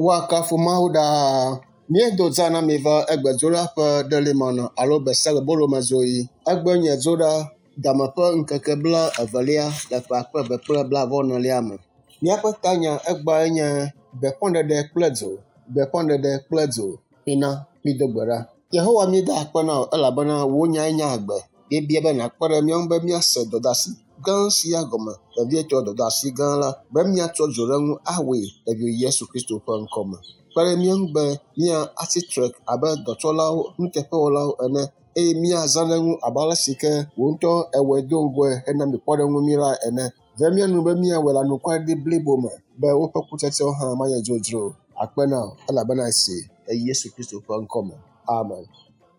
Woakafu Mawu ɖaa. Míedo dza na mi va egbe dzoɖaƒe ɖelimana alo gbe sia gbe bolomedzoɣi. Egbe nye dzoɖa game ƒe ŋkeke bla evelia le ƒe akpe eve kple blaeve-vɔ-enelia me. Míaƒe tanya egbea nye gbeƒãɖeɖe kple dzo, gbeƒãɖeɖe kple dzo. Mina mído gbe ɖa. Yehowa míeda akpe na wò elabena wò nyae nye agbe. Míebia be nàkpe ɖe mía ŋu be míase dɔdeasi gã sia gɔme, vevietɔ dɔdeasi gã la, be míatsɔ dzo ɖe eŋu awɔe le viwò Yesu Kristo ƒe ŋkɔ me. Kpe ɖe mía ŋu be míatsi tre abe dɔtsɔlawo, nuteƒewɔlawo ene eye míazã ɖe eŋu abe ale si ke wò ŋutɔ èwɔe do ŋgɔe hena mi kpɔɖeŋu mí la ene. Ve mía nu be míawɔe le anukwareɖiɖi blibo me be woƒe kutsetsewo hã manye dzodzro o. Akpe na wò elabena esi le Yesu Kristo ƒe ŋkɔ me. Amen.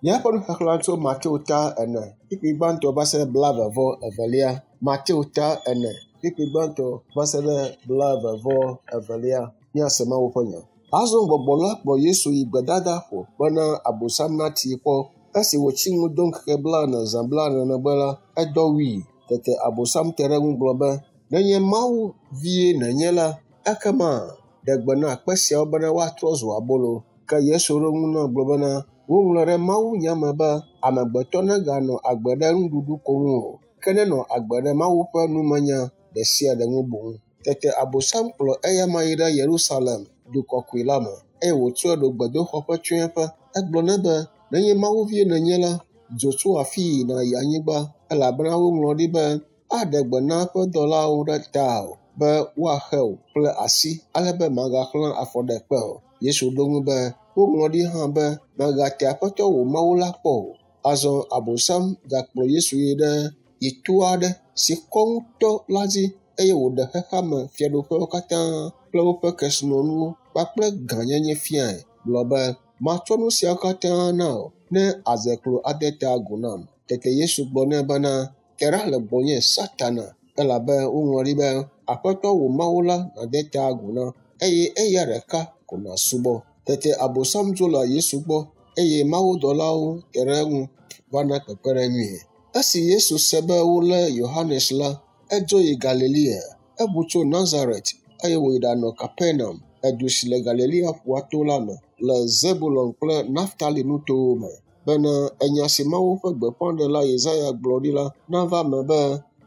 Míaƒe nuxexlẽ tso Mateo ta ene, kpukpui gbãtɔ va se ɖe blaeve-vɔ-evelia. Mateo ta ene, kpukpui gbãtɔ va se ɖe blaeve-vɔ-evelia. Míase Mawu ƒe nya. Azɔ gbɔgbɔ la kplɔ Yesu yi gbedadaƒo bena Abosam natii kpɔ. Esi wòtsi nu do ŋkeke blaene zã blaene megbe la, edɔ wui. Tete Abosam te ɖe eŋu gblɔ be, “Nenye Mawu vie nènye la, ekema ɖe gbe na kpe siawo bena woatrɔ zu abolo.” Ke Yesu ɖo eŋu nɛ gblɔ bena, “Woŋlɔ ɖe mawunya me be, amegbetɔ neganɔ agbe ɖe nuɖuɖu ko ŋu o, ke nenɔ agbe ɖe Mawu ƒe numenya ɖe sia ɖe ŋu boŋ.” Tete Abosam kplɔ eyama yi ɖe Yerusalem, du kɔkɔe la me, eye wòtsɔe ɖo gbedoxɔ ƒe tsyɔ̃eƒe. Egblɔ nɛ be, “Nenye Mawu vie nènye la, dzo tso afii nàyi anyigba, elabena woŋlɔ ɖi be, aɖe gbe na eƒe dɔlawo ɖe tawò be woahe wò kple asi ale be màgaxlã afɔ ɖe kpe o.” Yesu ɖo eŋu be, “Woŋlɔ ɖi hã be, mègate Aƒetɔ wò Mawu la kpɔ o.” Azɔ Abosam gakplɔ Yesu yi ɖe yi to aɖe si kɔ ŋutɔ la dzi eye wòɖe xexea me fiaɖuƒewo katã kple woƒe kesinɔnuwo kpakple gãnyenye fiae gblɔ be, “Matsɔ nu siawo katã na wò ne àdze klo ade ta agu nam.” Tete Yesu gblɔ nɛ bena, “Te ɖa le gbɔnye Satana, elabe woŋlɔ ɖi be, Aƒetɔ wò Mawu la nàde ta agu na eye eya ɖeka ko nàsubɔ.” Tete Abosam dzo le Yesu gbɔ eye mawudɔlawo te ɖe eŋu va na kpekpeɖeŋui. Esi Yesu se be wolé Yohanes la, edzo yi Galilea. Eʋu tso Nazaret eye wòyi ɖanɔ Kapernaum, edu si le Galilea ƒua to la me, le Zebulon kple Naftali nutowo me, bena enya si Mawu ƒe gbeƒãɖela Yesaya gblɔ ɖi la nava eme be,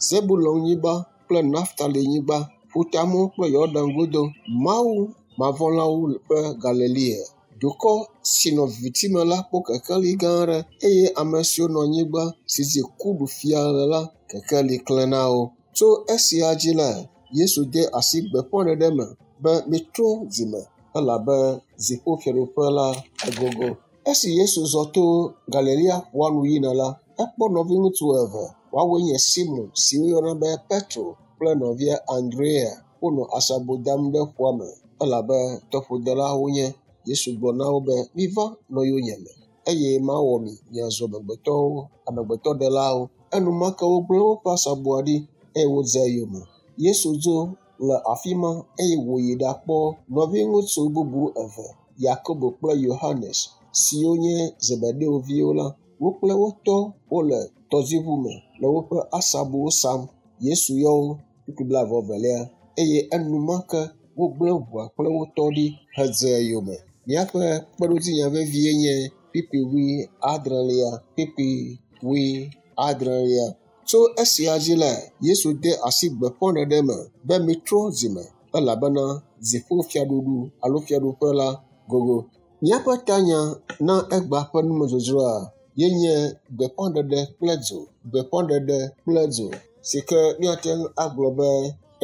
Zebulon-nyigba kple Naftali-nyigba, ƒutamɔ kple Yɔdan godo, Mawu mavɔ̃lawo ƒe Galilea. Dukɔ si nɔ viviti me la kpɔ kekeli gã aɖe eye ame siwo nɔ anyigba si dzi ku ɖu fia le la, kekeli klẽ na wo. Tso esia dzi la, Yesu de asi gbeƒãɖeɖe me be mitrɔ dzime elabe dziƒofiaɖuƒe la egogo. Esi Yesu zɔ to Galilea ƒua nu yina la, ekpɔ nɔviŋutsu eve, woawoe nye Simɔn si woyɔna be Petro kple nɔvia Andrea. Wonɔ asabo dam ɖe ƒua me elabe tɔƒodelawo wonye. Yesu gblɔ na wo be, “Miva nɔ yonyeme eye mawɔ mi miazu amegbetɔwo, amegbetɔɖelawo.” Enumake wogblẽ woƒe asaboa ɖi eye wodze eyome. Yesu dzo le afi ma eye wòyi ɖakpɔ nɔviŋutsu bubu eve, Yakobo kple Yohanes, siwo nye Zebedeo viwo la. Wo kple wo tɔ wole tɔdziʋu me le woƒe asabowo sam. Yesu yɔ wo kpukpui blaeve-vɔ-evelia eye enumake wogblẽ ʋua kple wo tɔ ɖi hedze eyome. Míaƒe kpeɖodzinya vevie nye kpukpui wuiadrelia, kpukpui wuiadrelia. Tso esia dzi la, Yesu de asi gbeƒãɖeɖe me be mitrɔ dzime elabena dziƒofiaɖuɖu alo fiaɖuƒe la gogo. Míaƒe tanya na egbea ƒe numedzodzroa ye nye gbeƒãɖeɖe kple dzo, gbeƒãɖeɖe kple dzo si ke míate ŋu agblɔ be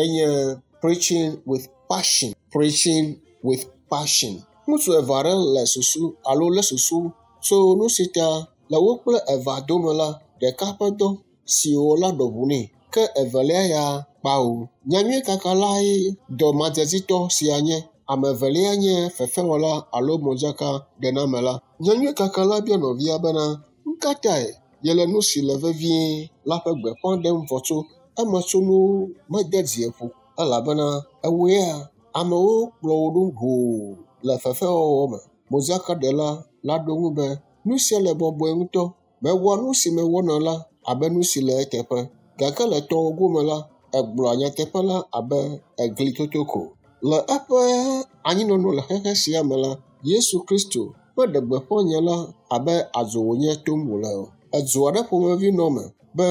enye preaching with passion, preaching with passion. Ŋutsu eve aɖe le susu alo lé susu tso nu si ta le wo kple evea dome la, ɖeka ƒe dɔ si wòwɔ la ɖɔ ʋu nɛ ke evelia ya kpao. Nyanyuikakalae dɔmadzedzitɔ sia nye. Ame evelia nye fefewɔla alo modzakaɖenamela. Nyanyuikakala bia nɔvia bena, “Nu ka tae yele nu si le vevie la ƒe gbeƒã ɖem vɔ tso emetsonuwo mede dzi ƒo elabena ewòea amewo kplɔ wò ɖo hoo le fefewɔwɔ me.” Modzakaɖela la ɖo eŋu be, “Nu sia le bɔbɔe ŋutɔ. Mewɔa nu si mewɔna la abe nu si le eteƒe gake le tɔwò gome la, ègblɔa nyateƒe la abe eglitoto ko.” Le eƒe anyinɔnɔ le xexe sia me la, Yesu Kristo meɖe gbeƒã nya la abe adzo wònye tom wòle o. Edzo aɖe ƒomevi nɔ eme be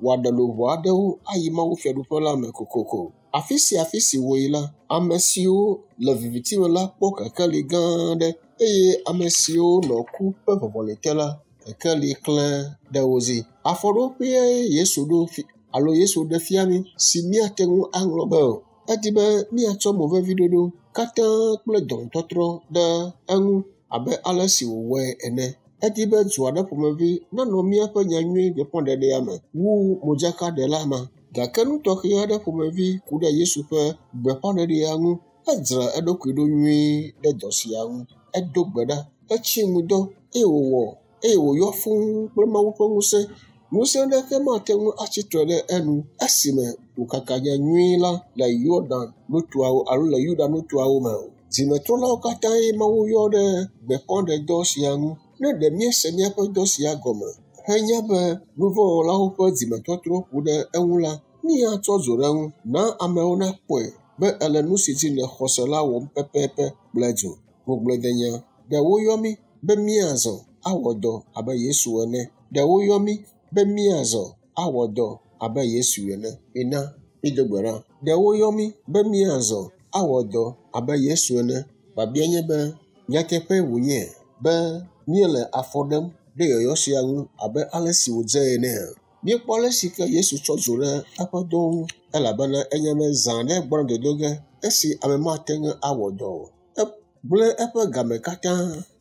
wòaɖe luʋɔ aɖewo ayi Mawu fiaɖuƒe la me kokoko. Afi sia afi si wòyi la, ame siwo le viviti me la kpɔ kekeli gã aɖe eye ame siwo nɔ ku ƒe vɔvɔli te la, kekeli klẽ ɖe wo dzi. Afɔɖoƒee Yesu ɖo alo Yesu ɖe fia mí si míate ŋu aŋlɔ be o. Edi be míatsɔ moveviɖoɖo katã kple dɔmetɔtrɔ ɖe eŋu abe ale si wòwɔe ene. Edi be du aɖe ƒomevi nanɔ míaƒe nyanyui gbeƒãɖeɖea me wu modzakaɖela ma. Gake nu tɔxɛ aɖe ƒomevi ku ɖe Yesu ƒe gbeƒãɖeɖea ŋu. Edzra eɖokui ɖo nyuie ɖe dɔ sia ŋu. Edo gbe ɖa, etsi ŋudɔ eye wòwɔ eye wòyɔ fũu kple Mawu ƒe ŋusẽ. Ŋusẽ aɖeke mate ŋu atsi tre ɖe enu esime wòkaka nyanyui la le Yɔdan nutoawo alo le Yuda nutoawo me o. Dzimetrɔlawo katãe Mawu yɔ ɖe gbeƒãɖedɔ sia ŋu. Ne ɖe míese míaƒe dɔ sia gɔme henya be nuvɔ̃wɔlawo ƒe dzimetɔtrɔ ku ɖe eŋu la, míatsɔ dzo ɖe eŋu. Na amewo nakpɔe be ele nu si dzi nèxɔ se la wɔm pɛpɛpɛ kple dzo. Ŋugbledenya. Ɖe woyɔ mí be míazɔ awɔ dɔ abe Yesu ene. Ɖe woyɔ mí be míazɔ awɔ dɔ abe Yesu ene. Mina mído gbe ɖa. Ɖe woyɔ mí be míazɔ awɔ dɔ abe Yesu ene. Biabia nye be nyateƒee wònye be míele afɔ ɖem ɖe yɔyɔ sia ŋu abe ale si wòdze enea? Míekpɔ ale si ke Yesu tsɔ dzo ɖe eƒe dɔwo ŋu elabena enya be zã ɖe gbɔna dodo ge esi ame mate ŋu awɔ dɔ o. Egblẽ eƒe game katã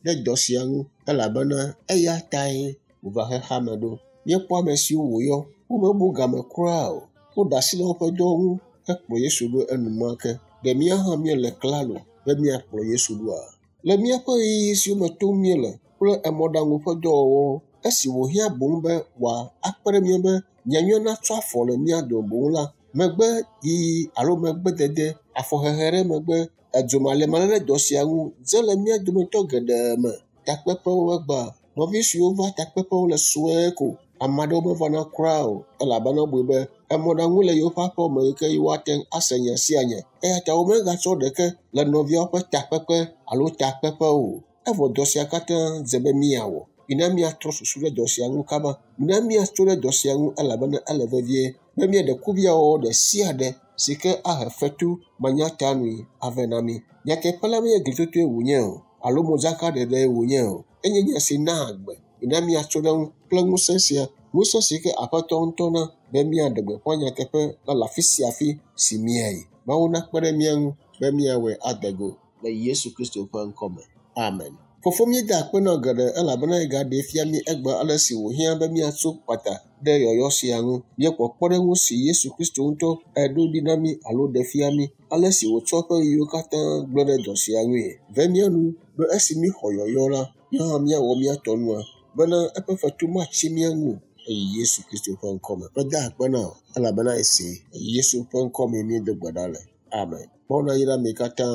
ɖe dɔ sia ŋu elabena eya tae wòva xexea me ɖo. Míekpɔ ame siwo wòyɔ, womebu game kura o. Woɖe asi le woƒe dɔwo ŋu hekplɔ Yesu ɖo enumake. Ɖe míawo hã míele klalo be míakplɔ Yesu ɖoa? Le míaƒe ɣeyiɣi siwo me tom míele kple emɔɖaŋu ƒe dɔwɔwɔwo, esi wòhiã boŋ be wòakpe ɖe mía ŋu be nyanyuia natsɔ afɔ le mía dome boŋ la, megbe yiyi alo megbedede, afɔhehe ɖe megbe, edzomalemale ɖe dɔ sia ŋu dze le mía dometɔ geɖe me. Takpeƒewo egbea, nɔvi siwo va takpeƒewo le sue ko. Ame aɖewo mevana kura o elabena wobui be emɔɖaŋu le yewoƒe aƒewo me yi ke yewoate ŋu ase nya sia nya. Eya ta womegatsɔ ɖeke le nɔviawo ƒe takpekpe alo takpeƒe o. Evɔ dɔ sia katã dze be míawɔ. Mina míatrɔ susu ɖe dɔ sia ŋu kaba. Mina míatso ɖe dɔ sia ŋu elabena ele vevie be míaɖe kuviawɔwɔ ɖe sia ɖe si ke ahe fetu manyatanui ave na mí. Nyateƒe la menye glitotoe wònye o alo modzakaɖeɖee wònye o. Enye nya si naa agbe. Mina míatso ɖe eŋu kple ŋusẽ sia, ŋusẽ si ke Aƒetɔ ŋutɔ na be míaɖe gbeƒã nyateƒe la le afi sia afi si míayi. Mawu nakpe ɖe mía ŋu be míawɔe ade go le Yesu Kristo ƒe ŋkɔ me. Amen. Fofo míeda akpe na wò geɖe elabena egaɖee fia mí egbea ale si wòhiã be míatso kpata ɖe yɔyɔ sia ŋu. Míekpɔ kpɔɖeŋu si Yesu Kristo ŋutɔ eɖo ɖi na mí alo ɖe fia mí, ale si wòtsɔ eƒe ɣeyiɣiwo katã gblẽ ɖe dɔ sia ŋui. Ve mía nu be esi míxɔ yɔyɔ la, míawo hã míawɔ mía tɔ nua bena eƒe fetu matsi mía ŋu o le Yesu Kristo ƒe ŋkɔ me. Meda akpe na wò elabena esee. Le Yesu ƒe ŋkɔ mee míedo gbe ɖa le. Amen. Mawu nayra mi katã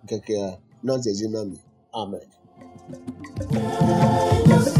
ŋkekea nadze edzi na mi. Amen. Just